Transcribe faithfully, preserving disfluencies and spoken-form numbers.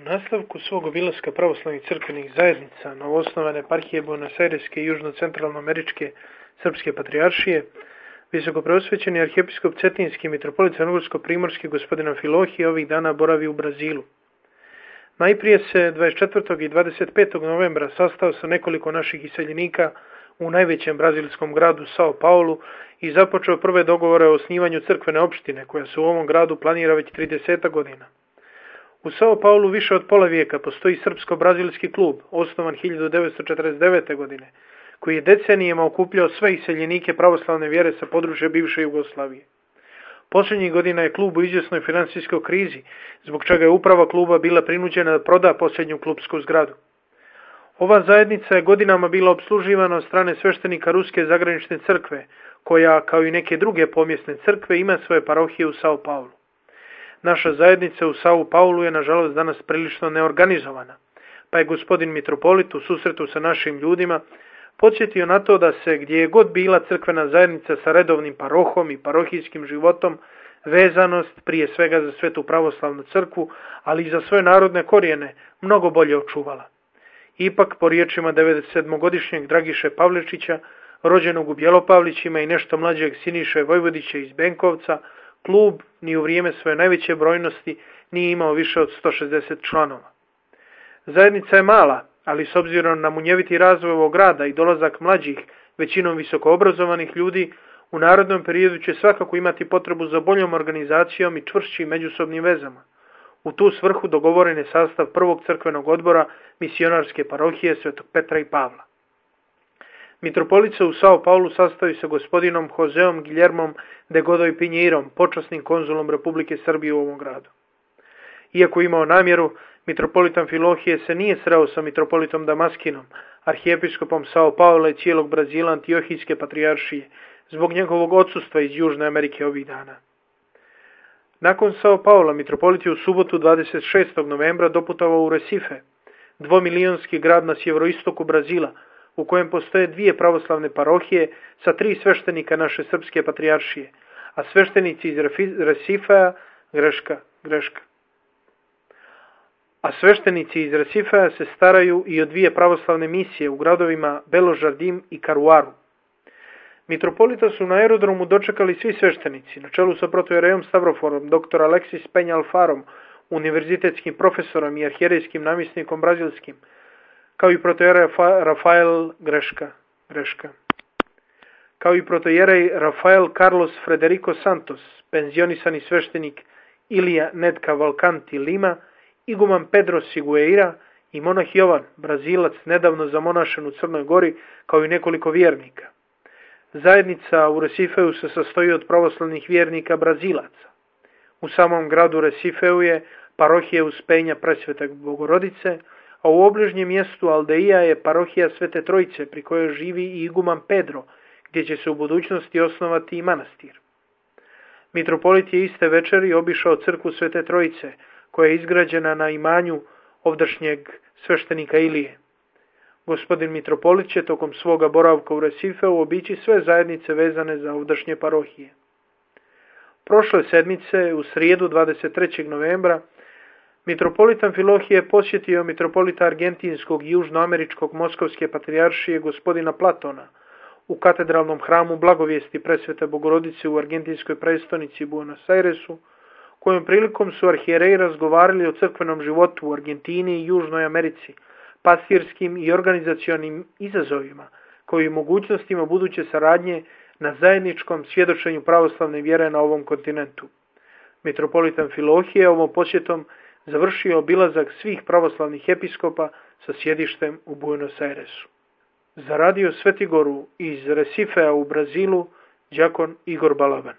U nastavku svog obilaska pravoslavnih crkvenih zajednica novoosnovane eparhije Buenosajreske i južno-centralnoameričke srpske patrijaršije, visokopreosvećeni arhijepiskop Cetinski mitropolit crnogorsko-primorski gospodin Amfilohije ovih dana boravi u Brazilu. Najprije se dvadeset četvrtog i dvadeset petog novembra sastao sa nekoliko naših iseljenika u najvećem brazilskom gradu Sao Paulu i započeo prve dogovore o osnivanju crkvene opštine koja se u ovom gradu planira već trideset godina. U Sao Paulu više od pola vijeka postoji srpsko-brazilski klub, osnovan hiljadu devetsto četrdeset devete. godine, koji je decenijama okupljao sve iseljenike pravoslavne vjere sa područja bivše Jugoslavije. Posljednjih godina je klub u izvjesnoj financijskoj krizi, zbog čega je uprava kluba bila prinuđena da proda posljednju klubsku zgradu. Ova zajednica je godinama bila opsluživana od strane sveštenika Ruske zagranične crkve, koja, kao i neke druge pomjesne crkve, ima svoje parohije u Sao Paulu. Naša zajednica u Sao Paulu je, nažalost, danas prilično neorganizovana, pa je gospodin mitropolit u susretu sa našim ljudima podsjetio na to da se, gdje je god bila crkvena zajednica sa redovnim parohom i parohijskim životom, vezanost prije svega za Svetu pravoslavnu crkvu, ali i za svoje narodne korijene, mnogo bolje očuvala. Ipak, po riječima devedesetsedmogodišnjeg Dragiše Pavličića, rođenog u Bjelopavlićima i nešto mlađeg Siniše Vojvodića iz Benkovca, klub ni u vrijeme svoje najveće brojnosti nije imao više od sto šezdeset članova. Zajednica je mala, ali s obzirom na munjeviti razvoj ovog grada i dolazak mlađih, većinom visokoobrazovanih ljudi, u narodnom periodu će svakako imati potrebu za boljom organizacijom i čvršćim međusobnim vezama. U tu svrhu dogovoren je sastav prvog crkvenog odbora misionarske parohije Svetog Petra i Pavla. Mitropolit se u Sao Paulu sastoji sa gospodinom Joseom Guillermom de Godoy Pinheirom, počasnim konzulom Republike Srbije u ovom gradu. Iako imao namjeru, mitropolit Amfilohije se nije sreo sa mitropolitom Damaskinom, arhijepiskopom Sao Paula i cijelog Brazila Antiohijske patrijaršije, zbog njegovog odsustva iz Južne Amerike ovih dana. Nakon Sao Paula, mitropolit je u subotu dvadeset šestog novembra doputovao u Recife, dvomilijonski grad na sjeveroistoku Brazila, u kojem postoje dvije pravoslavne parohije sa tri sveštenika naše srpske patrijaršije, a sveštenici iz Recifea, greška, greška. A sveštenici iz Recifea se staraju i o dvije pravoslavne misije u gradovima Belo Jardim i Caruaru. Mitropolita su na aerodromu dočekali svi sveštenici, na čelu sa protojerejom Stavroforom, dr. Alexis Penha Alfarom, univerzitetskim profesorom i arhijerejskim namjesnikom brazilskim, kao i protojerej Rafael greška, greška. Kao i protojerej Rafael Carlos Frederico Santos, penzionisani sveštenik Ilija Nedka Valcanti Lima, iguman Pedro Sigueira i monah Jovan, Brazilac nedavno zamonašen u Crnoj Gori, kao i nekoliko vjernika. Zajednica u Recifeu se sastoji od pravoslavnih vjernika Brazilaca. U samom gradu Recifeu je parohija Uspenja Presvete Bogorodice, a u obližnjem mjestu Aldeija je parohija Svete Trojice, pri kojoj živi i iguman Pedro, gdje će se u budućnosti osnovati i manastir. Mitropolit je iste večeri obišao crkvu Svete Trojice, koja je izgrađena na imanju ovdašnjeg sveštenika Ilije. Gospodin mitropolit će tokom svoga boravka u Recifeu obići sve zajednice vezane za ovdašnje parohije. Prošle sedmice, u srijedu dvadeset trećeg novembra, mitropolit Amfilohije posjetio mitropolita argentinskog i južnoameričkog moskovske patrijaršije gospodina Platona u katedralnom hramu Blagovijesti Presvete Bogorodice u argentinskoj prestonici Buenos Airesu, kojom prilikom su arhijereji razgovarali o crkvenom životu u Argentini i Južnoj Americi, pastirskim i organizacionim izazovima, koji i mogućnostima buduće saradnje na zajedničkom svjedočenju pravoslavne vjere na ovom kontinentu. Mitropolit Amfilohije ovom posjetom završio obilazak svih pravoslavnih episkopa sa sjedištem u Buenos Airesu. Za radio Svetigoru iz Recifea u Brazilu, đakon Igor Balaban.